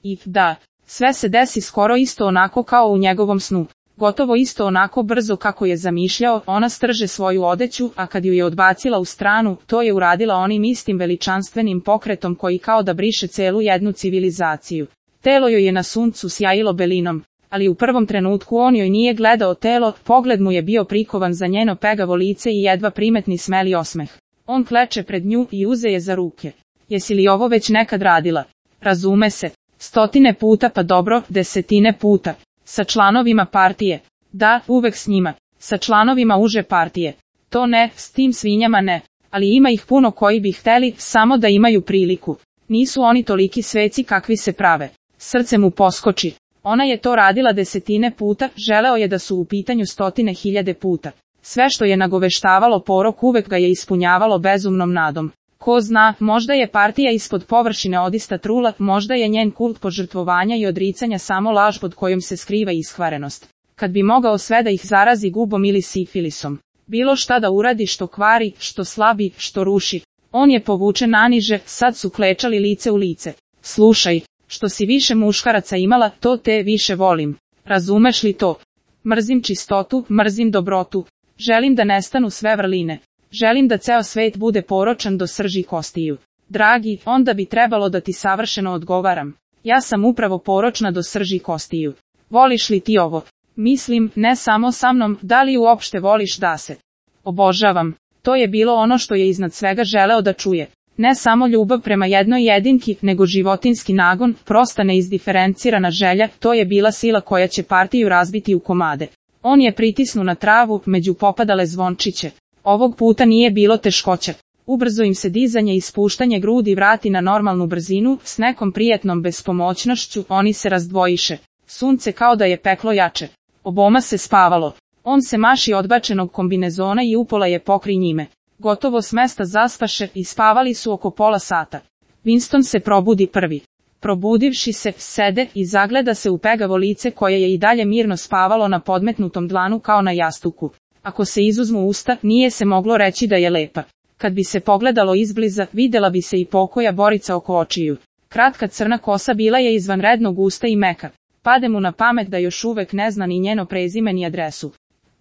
I, da, sve se desi skoro isto onako kao u njegovom snu. Gotovo isto onako brzo kako je zamišljao, ona strže svoju odeću, a kad ju je odbacila u stranu, to je uradila onim istim veličanstvenim pokretom koji kao da briše celu jednu civilizaciju. Telo joj je na suncu sjajilo belinom, ali u prvom trenutku on joj nije gledao telo, pogled mu je bio prikovan za njeno pegavo lice i jedva primetni smeli osmeh. On kleče pred nju i uze je za ruke. Jesi li ovo već nekad radila? Razume se, 100 puta pa dobro, 10 puta. Sa članovima partije? Da, uvek s njima. Sa članovima uže partije? To ne, s tim svinjama ne. Ali ima ih puno koji bi hteli, samo da imaju priliku. Nisu oni toliki sveci kakvi se prave. Srce mu poskoči. Ona je to radila 10 puta, želeo je da su u pitanju 100.000 puta. Sve što je nagoveštavalo porok uvek ga je ispunjavalo bezumnom nadom. Ko zna, možda je partija ispod površine odista trula, možda je njen kult požrtvovanja i odricanja samo laž pod kojom se skriva iskvarenost. Kad bi mogao sve da ih zarazi gubom ili sifilisom. Bilo šta da uradi što kvari, što slabi, što ruši. On je povučen naniže, sad su klečali lice u lice. Slušaj, što si više muškaraca imala, to te više volim. Razumeš li to? Mrzim čistotu, mrzim dobrotu. Želim da nestanu sve vrline. Želim da ceo svet bude poročan do srži kostiju. Dragi, onda bi trebalo da ti savršeno odgovaram. Ja sam upravo poročna do srži kostiju. Voliš li ti ovo? Mislim, ne samo sa mnom, da li uopšte voliš da se? Obožavam. To je bilo ono što je iznad svega želeo da čuje. Ne samo ljubav prema jednoj jedinki, nego životinski nagon, prosta neizdiferencirana želja, to je bila sila koja će partiju razbiti u komade. On je pritisnuo na travu, među popadale zvončiće. Ovog puta nije bilo teškoća. Ubrzo im se dizanje i spuštanje grudi vrati na normalnu brzinu, s nekom prijetnom bespomoćnošću, oni se razdvojiše. Sunce kao da je peklo jače. Oboma se spavalo. On se maši odbačenog kombinezona i upola je pokri njime. Gotovo s mesta zaspaše i spavali su oko pola sata. Winston se probudi prvi. Probudivši se, sede i zagleda se u pegavo lice koje je i dalje mirno spavalo na podmetnutom dlanu kao na jastuku. Ako se izuzmu usta, nije se moglo reći da je lepa. Kad bi se pogledalo izbliza, videla bi se i pokoja borica oko očiju. Kratka crna kosa bila je izvanredno gusta i meka. Pade mu na pamet da još uvek ne zna ni njeno prezime ni adresu.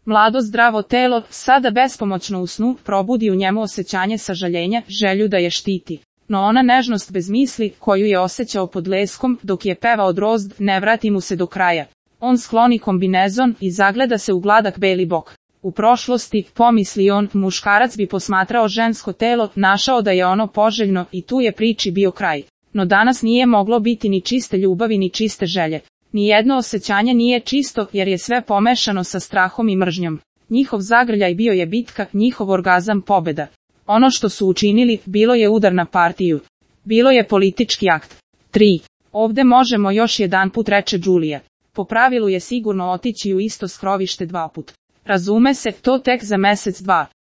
Mlado zdravo telo, sada bespomoćno u snu, probudi u njemu osjećanje sažaljenja, želju da je štiti. No ona nežnost bez misli, koju je osjećao pod leskom, dok je pevao drozd, ne vrati mu se do kraja. On skloni kombinezon i zagleda se u gladak beli bok. U prošlosti, pomisli on, muškarac bi posmatrao žensko telo, našao da je ono poželjno i tu je priči bio kraj. No danas nije moglo biti ni čiste ljubavi ni čiste želje. Nijedno osjećanje nije čisto jer je sve pomešano sa strahom i mržnjom. Njihov zagrljaj bio je bitka, njihov orgazam pobeda. Ono što su učinili, bilo je udar na partiju. Bilo je politički akt. 3. Ovde možemo još jedanput, reče Đulija. Po pravilu je sigurno otići u isto skrovište 2 put. Razume se, to tek za mesec 2.